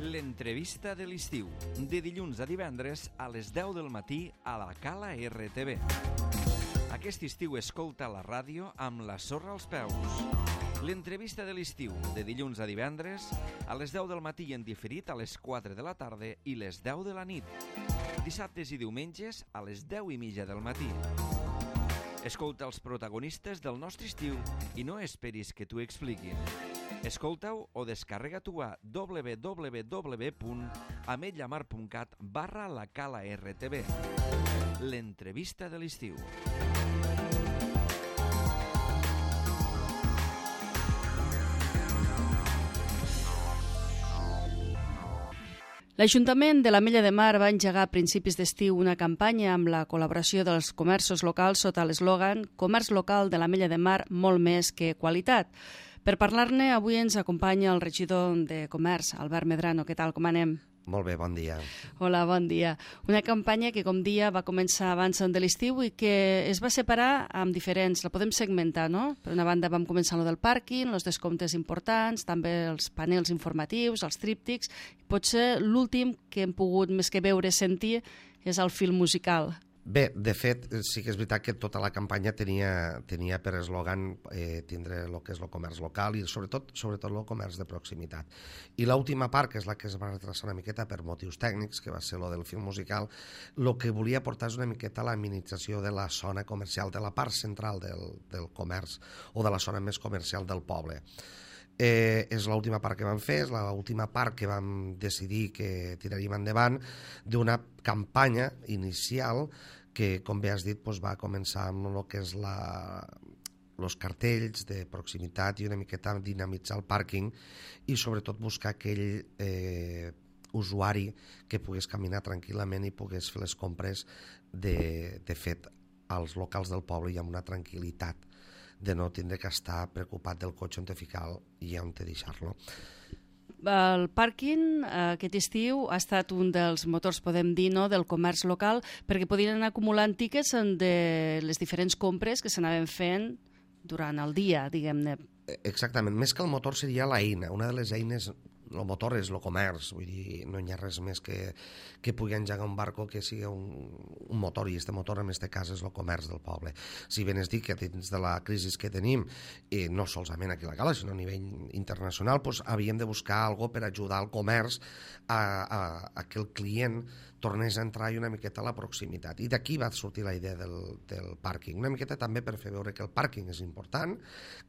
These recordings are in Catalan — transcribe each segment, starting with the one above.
L'entrevista de l'estiu, de dilluns a divendres a les 10 del matí a la Cala RTV. Aquest estiu escolta la ràdio amb la sorra als peus. L'entrevista de l'estiu, de dilluns a divendres a les 10 del matí en diferit a les 4 de la tarda i les 10 de la nit. Dissabtes i diumenges a les 10:30 del matí. Escolta els protagonistes del nostre estiu i no esperis que t'ho expliquin. Escolta-ho o descarrega-t'ho a www.ametlllamar.cat/la Cala RTV. L'entrevista de l'estiu. L'Ajuntament de l'Ametlla de Mar va engegar a principis d'estiu una campanya amb la col·laboració dels comerços locals sota l'eslògan «Comerç local de l'Ametlla de Mar, molt més que qualitat». Per parlar-ne, avui ens acompanya el regidor de Comerç, Albert Medrano. Què tal, com anem? Molt bé, bon dia. Hola, bon dia. Una campanya que, com dia, va començar abans de l'estiu i que es va separar amb diferents... La podem segmentar, no? Per una banda vam començar amb el del pàrquing, els descomptes importants, també els panels informatius, els tríptics. Potser l'últim que hem pogut més que veure, sentir, és el film musical. Bé, de fet, sí que és veritat que tota la campanya tenia per eslògan tindre el que és el comerç local i sobretot el comerç de proximitat. I l'última part, que és la que es va retrasar una miqueta per motius tècnics, que va ser el del film musical, el que volia portar és una miqueta la minimització de la zona comercial, de la part central del comerç o de la zona més comercial del poble. És l'última part que vam fer, és l'última part que vam decidir que tiraríem endavant d'una campanya inicial que, com bé has dit, va començar amb el que és els cartells de proximitat i una miqueta dinamitzar el pàrquing i sobretot buscar aquell usuari que pogués caminar tranquil·lament i pogués fer les compres de fet als locals del poble i amb una tranquil·litat de no tindre que estar preocupat del cotxe on te ficar i on te deixar-lo. El pàrquing aquest estiu ha estat un dels motors, podem dir, no, del comerç local, perquè podien anar acumulant tiquets de les diferents compres que s'anaven fent durant el dia, diguem-ne. Exactament, més que el motor seria l'eina, una de les eines. El motor és el comerç, vull dir, no hi ha res més que pugui engegar un barco que sigui un motor, i aquest motor en aquest cas és el comerç del poble. Si ben es dic que dins de la crisi que tenim, no solament aquí a la Cala, sinó a nivell internacional, havíem de buscar alguna cosa per ajudar al comerç a que el client tornés a entrar i una miqueta a la proximitat. I d'aquí va sortir la idea del pàrquing. Una miqueta també per fer veure que el pàrquing és important,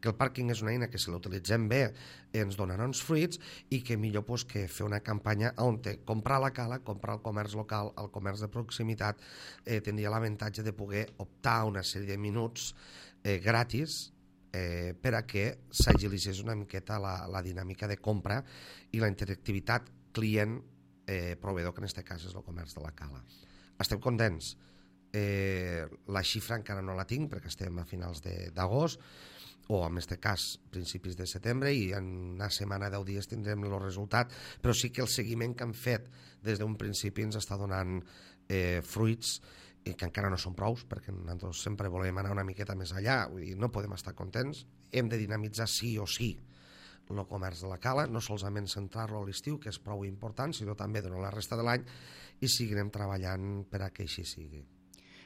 que el pàrquing és una eina que si l'utilitzem bé ens donarà uns fruits i que millor que fer una campanya on comprar a la Cala, comprar al comerç local, al comerç de proximitat, tindria l'avantatge de poder optar a una sèrie de minuts gratis per a que s'agilitzés una miqueta la dinàmica de compra i la interactivitat client-proveedor, que en aquest cas és el comerç de la Cala. Estem contents. La xifra encara no la tinc perquè estem a finals d'agost, o en aquest cas principis de setembre, i en una setmana, 10 dies tindrem el resultat, però sí que el seguiment que han fet des d'un principi ens està donant fruits que encara no són prous, perquè nosaltres sempre volem anar una miqueta més allà, vull dir, no podem estar contents, hem de dinamitzar sí o sí el comerç de la Cala, no solament centrar-lo a l'estiu, que és prou important, sinó també durant la resta de l'any, i seguirem treballant per a que així sigui.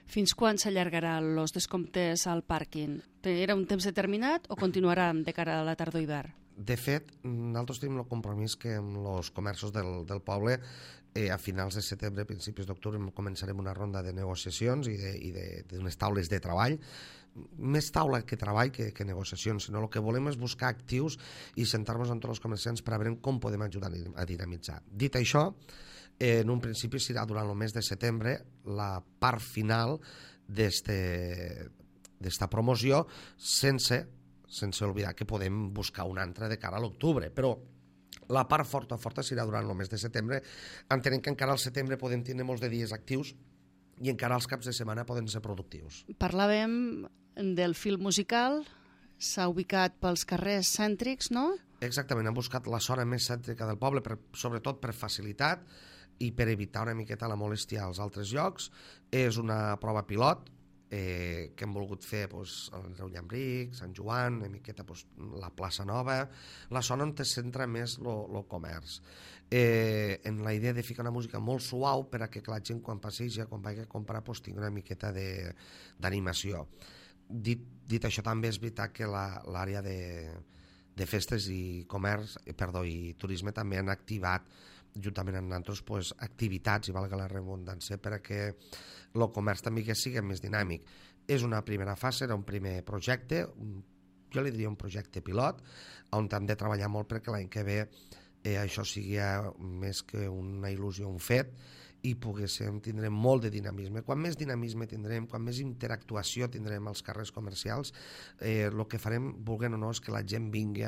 Fins quan s'allargarà els descomptes al pàrquing? Era un temps determinat o continuarà de cara a la tardor-hivern? De fet, nosaltres tenim el compromís que amb els comerços del poble a finals de setembre, principis d'octubre, començarem una ronda de negociacions i d'unes taules de treball, més taula que treball que negociacions, sinó el que volem és buscar actius i sentar-nos amb tots els comerciants per a veure com podem ajudar a dinamitzar. Dit això, en un principi serà durant el mes de setembre la part final d'esta promoció, sense oblidar que podem buscar una altra de cara a l'octubre, però la part forta serà durant el mes de setembre, entenent que encara al setembre podem tenir molts de dies actius i encara els caps de setmana poden ser productius. Parlàvem del film musical, s'ha ubicat pels carrers cèntrics, no? Exactament, hem buscat la zona més cèntrica del poble, sobretot per facilitat i per evitar una miqueta la molèstia als altres llocs. És una prova pilot, que hem volgut fer el Reu Llambric, Sant Joan, una miqueta la plaça Nova, la zona on es centra més el comerç. En la idea de ficar una música molt suau per a que la gent quan passeja, quan vagi a comprar, tingui una miqueta d'animació. Dit això, també és veritat que l'àrea de festes i comerç, i turisme també han activat juntament amb nosaltres activitats, i valga la redundància, perquè el comerç també que sigui més dinàmic. És una primera fase, era un primer projecte, jo li diria un projecte pilot, on hem de treballar molt perquè l'any que ve això sigui més que una il·lusió, un fet, i tindrem molt de dinamisme. Quan més dinamisme tindrem, quan més interactuació tindrem als carrers comercials, el que farem, vulguem o no, és que la gent vingui,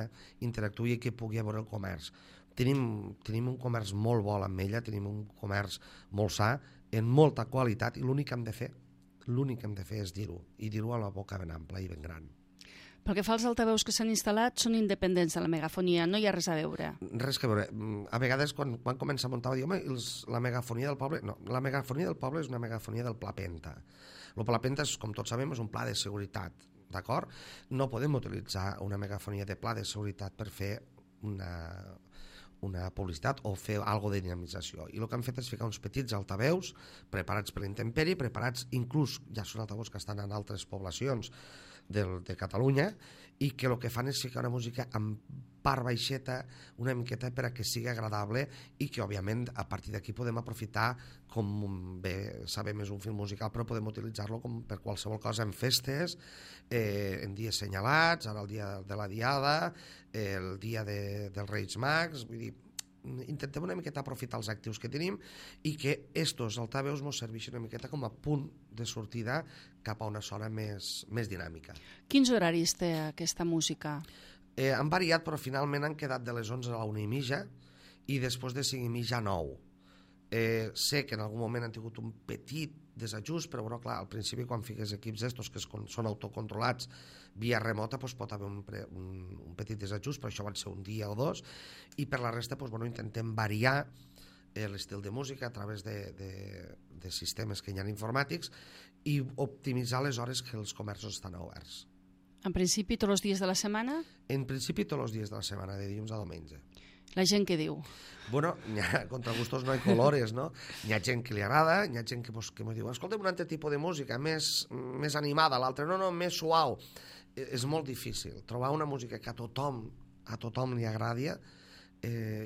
interactuï i que pugui veure el comerç. Tenim un comerç molt bo a l'Ametlla, tenim un comerç molt sa, en molta qualitat, i l'únic que hem de fer és dir-ho, i dir-ho a la boca ben ampla i ben gran. Pel que fa als altaveus que s'han instal·lat, són independents de la megafonia, no hi ha res a veure. Res que veure. A vegades, quan comença a muntar, diu, la megafonia del poble... No, la megafonia del poble és una megafonia del Pla Penta. El Pla Penta, com tots sabem, és un pla de seguretat, d'acord? No podem utilitzar una megafonia de pla de seguretat per fer una publicitat o fer alguna de dinamització. I el que han fet és ficar uns petits altaveus preparats per l'intempèrie, preparats inclús, ja són altaveus que estan en altres poblacions de Catalunya, i que el que fan és ficar una música amb part baixeta, una miqueta per a que sigui agradable, i que òbviament a partir d'aquí podem aprofitar, com bé sabem és un film musical, però podem utilitzar-lo per qualsevol cosa en festes, en dies senyalats, ara el dia de la Diada, el dia dels Reis Mags, vull dir, intentem una miqueta aprofitar els actius que tenim i que estos altaveus ens serveixin una miqueta com a punt de sortida cap a una zona més dinàmica. Quins horaris té aquesta música? Han variat, però finalment han quedat de les 11 a la 1:30 i després de 5:30 a 9. Sé que en algun moment han tingut un petit desajust, però bueno, clar, al principi quan fiques equips d'estos que són autocontrolats via remota, pot haver un petit desajust, però això van ser un dia o dos, i per la resta intentem variar l'estil de música a través de sistemes que hi ha informàtics i optimitzar les hores que els comerços estan oberts. En principi tots els dies de la setmana? En principi tots els dies de la setmana, de dilluns a diumenge. La gent què diu? Bueno, contra gustos no hay colores, no? Hi ha gent que li agrada, hi ha gent que m'ho diu, escolta'm un altre tipus de música, més animada, l'altre no, més suau. És molt difícil. Trobar una música que a tothom li agradi,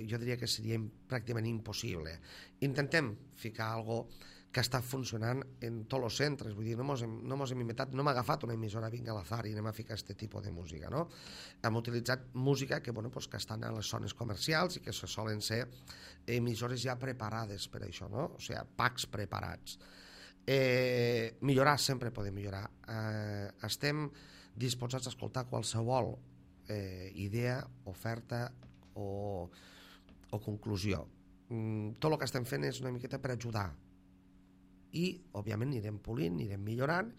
jo diria que seria pràcticament impossible. Intentem ficar alguna cosa que està funcionant en tots els centres, vull dir, no mos hem inventat, no hem agafat una emissora vinga a l'azar i anem a ficar aquest tipus de música, no? Hem utilitzat música que estan a les zones comercials i que solen ser emissores ja preparades per això, no? O sigui, packs preparats. Millorar, sempre podem millorar. Estem disposats a escoltar qualsevol idea, oferta o conclusió. Tot el que estem fent és una miqueta per ajudar, i òbviament anirem polint, anirem millorant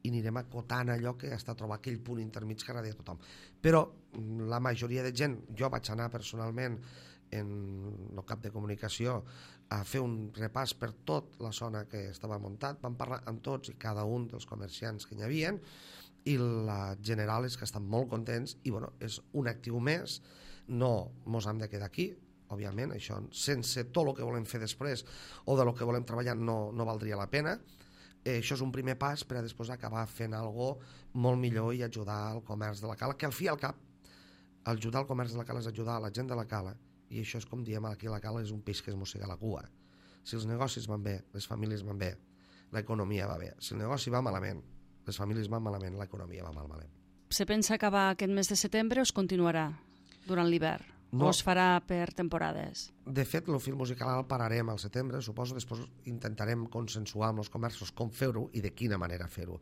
i anirem acotant allò que està a trobar aquell punt intermig que agradi a tothom. Però la majoria de gent, jo vaig anar personalment en el cap de comunicació a fer un repàs per tota la zona que estava muntat, vam parlar amb tots i cada un dels comerciants que hi havia, i la general és que estan molt contents i és un actiu més, no mos hem de quedar aquí, òbviament, això sense tot el que volem fer després o de lo que volem treballar no valdria la pena. Això és un primer pas per a després acabar fent alguna cosa molt millor i ajudar al comerç de la Cala, que al fi i al cap ajudar al comerç de la Cala és ajudar a la gent de la Cala, i això és com diem aquí a la Cala, és un peix que es mossega la cua. Si els negocis van bé, les famílies van bé, l'economia va bé. Si el negoci va malament, les famílies van malament, l'economia va malament. Se pensa acabar aquest mes de setembre o es continuarà durant l'hivern? No. O es farà per temporades? De fet, el film musical el pararem al setembre, suposo, després intentarem consensuar amb els comerços com fer-ho i de quina manera fer-ho.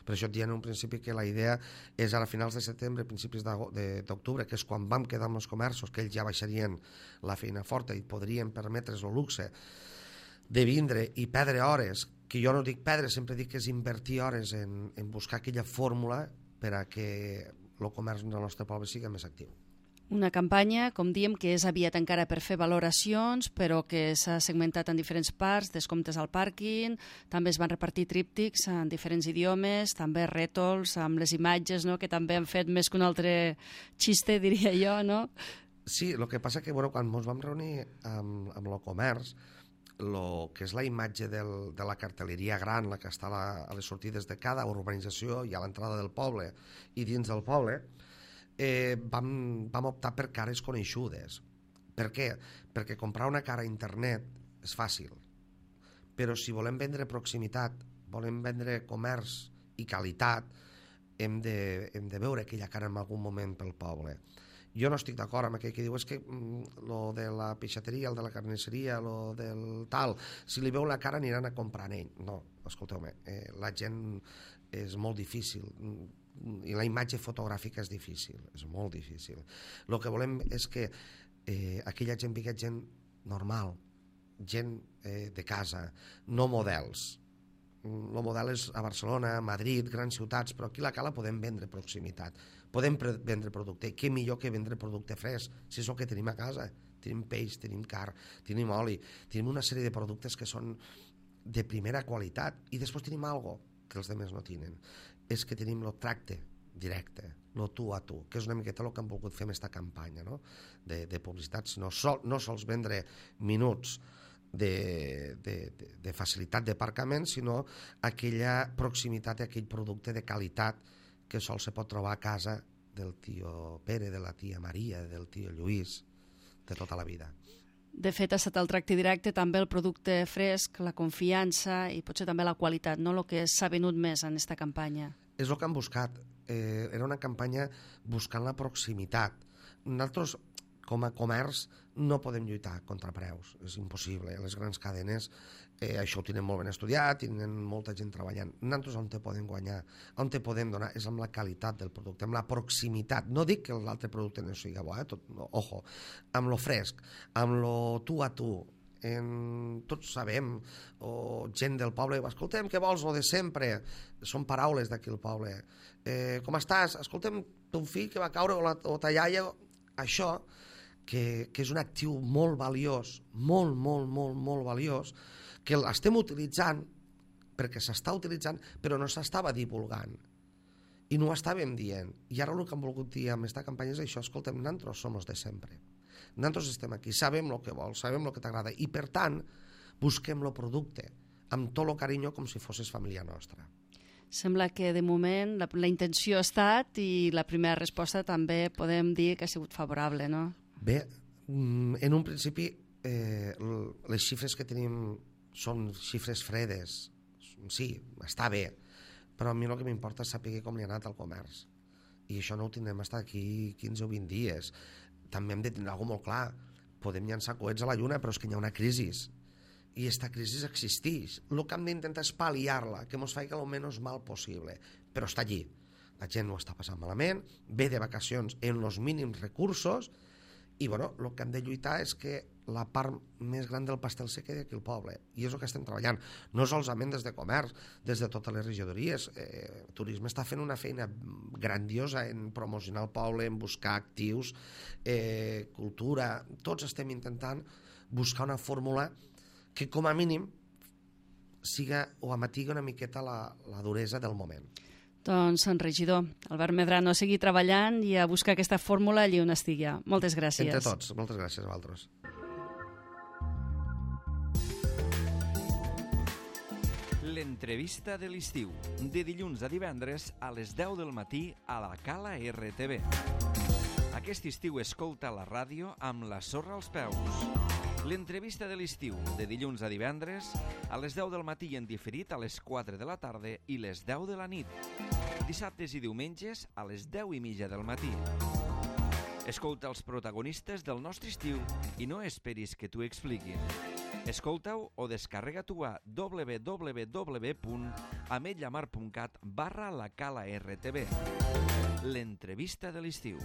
Per això et diem en un principi que la idea és ara a finals de setembre, principis d'octubre, que és quan vam quedar amb els comerços, que ells ja baixarien la feina forta i podrien permetre's el luxe de vindre i perdre hores, que jo no dic perdre, sempre dic que és invertir hores en buscar aquella fórmula per a que el comerç del nostre poble sigui més actiu. Una campanya, com diem, que és aviat encara per fer valoracions, però que s'ha segmentat en diferents parts, descomptes al pàrquing, també es van repartir tríptics en diferents idiomes, també rètols amb les imatges, no?, que també han fet més que un altre xiste, diria jo, no? Sí, el que passa que quan ens vam reunir amb el comerç, el que és la imatge de la cartelleria gran, la que està a les sortides de cada urbanització i a l'entrada del poble i dins del poble, vam optar per cares coneixudes. Per què? Perquè comprar una cara a internet és fàcil, però si volem vendre proximitat, volem vendre comerç i qualitat, hem de veure aquella cara en algun moment pel poble. Jo no estic d'acord amb aquell que diu és que lo de la peixateria, el de la carnisseria, lo del tal, si li veu la cara aniran a comprar en ell. No, escolteu-me, la gent és molt difícil i la imatge fotogràfica és difícil, és molt difícil. El que volem és que aquella gent vingui gent normal, gent de casa, no models. El model és a Barcelona, a Madrid, grans ciutats, però aquí a la Cala podem vendre proximitat, podem vendre producte. Què millor que vendre producte fresc, si és el que tenim a casa. Tenim peix, tenim carn, tenim oli, tenim una sèrie de productes que són de primera qualitat i després tenim algo que els altres no tenen. És que tenim el tracte directe, el tu a tu, que és una miqueta el que han volgut fer amb aquesta campanya, no? de publicitat, no sols vendre minuts de facilitat d'aparcament, sinó aquella proximitat i aquell producte de qualitat que sols se pot trobar a casa del tio Pere, de la tia Maria, del tio Lluís, de tota la vida. De fet, ha estat el tracte directe, també el producte fresc, la confiança i potser també la qualitat, no? El que s'ha venut més en aquesta campanya. És el que han buscat. Era una campanya buscant la proximitat. Nosaltres, com a comerç, no podem lluitar contra preus, és impossible. Les grans cadenes això ho tenen molt ben estudiat, tenen molta gent treballant. Nosaltres on te podem guanyar, on te podem donar, és amb la qualitat del producte, amb la proximitat. No dic que l'altre producte no sigui bo, ojo, amb lo fresc, amb lo tu a tu. Tots sabem, o gent del poble, escoltem, què vols, lo de sempre? Són paraules d'aquí al poble. Com estàs? Escoltem, ton fill que va caure o ta iaia, això, que és un actiu molt valiós, molt, molt, molt, molt valiós, que l'estem utilitzant, perquè s'està utilitzant, però no s'estava divulgant. I no ho estàvem dient. I ara el que hem volgut dir amb aquesta campanya és això, escolta'm, nosaltres som els de sempre. Nosaltres estem aquí, sabem el que vols, sabem el que t'agrada, i per tant, busquem el producte, amb tot el carinyo com si fossis família nostra. Sembla que de moment la intenció ha estat i la primera resposta també podem dir que ha sigut favorable, no? Bé, en un principi les xifres que tenim són xifres fredes. Sí, està bé, però a mi el que m'importa és saber com li ha anat al comerç. I això no ho tindrem fins aquí 15 o 20 dies. També hem de tenir alguna cosa molt clar. Podem llançar coets a la lluna, però és que hi ha una crisi. I aquesta crisi existeix. El que hem d'intentar és pal·liar-la, que ens faci el menys mal possible. Però està allí. La gent ho està passant malament, ve de vacacions en els mínims recursos, i bueno, el que hem de lluitar és que la part més gran del pastel se quedi aquí al poble, i és el que estem treballant, no solament des de comerç, des de totes les regidories. Turisme està fent una feina grandiosa en promocionar el poble, en buscar actius, cultura, tots estem intentant buscar una fórmula que com a mínim siga o amatigui una miqueta la duresa del moment. Doncs, regidor, Albert Medrano, a seguir treballant i a buscar aquesta fórmula allí on estigui. Moltes gràcies. Entre tots, moltes gràcies a vosaltres. L'entrevista de l'estiu, de dilluns a divendres a les 10 del matí a la Cala RTV. Aquest estiu escolta la ràdio amb la sorra als peus. L'entrevista de l'estiu, de dilluns a divendres, a les 10 del matí en diferit a les 4 de la tarda i les 10 de la nit. Dissabtes i diumenges a les 10:30 del matí. Escolta els protagonistes del nostre estiu i no esperis que t'ho expliquin. Escolta-ho o descarrega-t'ho a www.ametlllamar.cat/la Cala RTV. L'entrevista de l'estiu.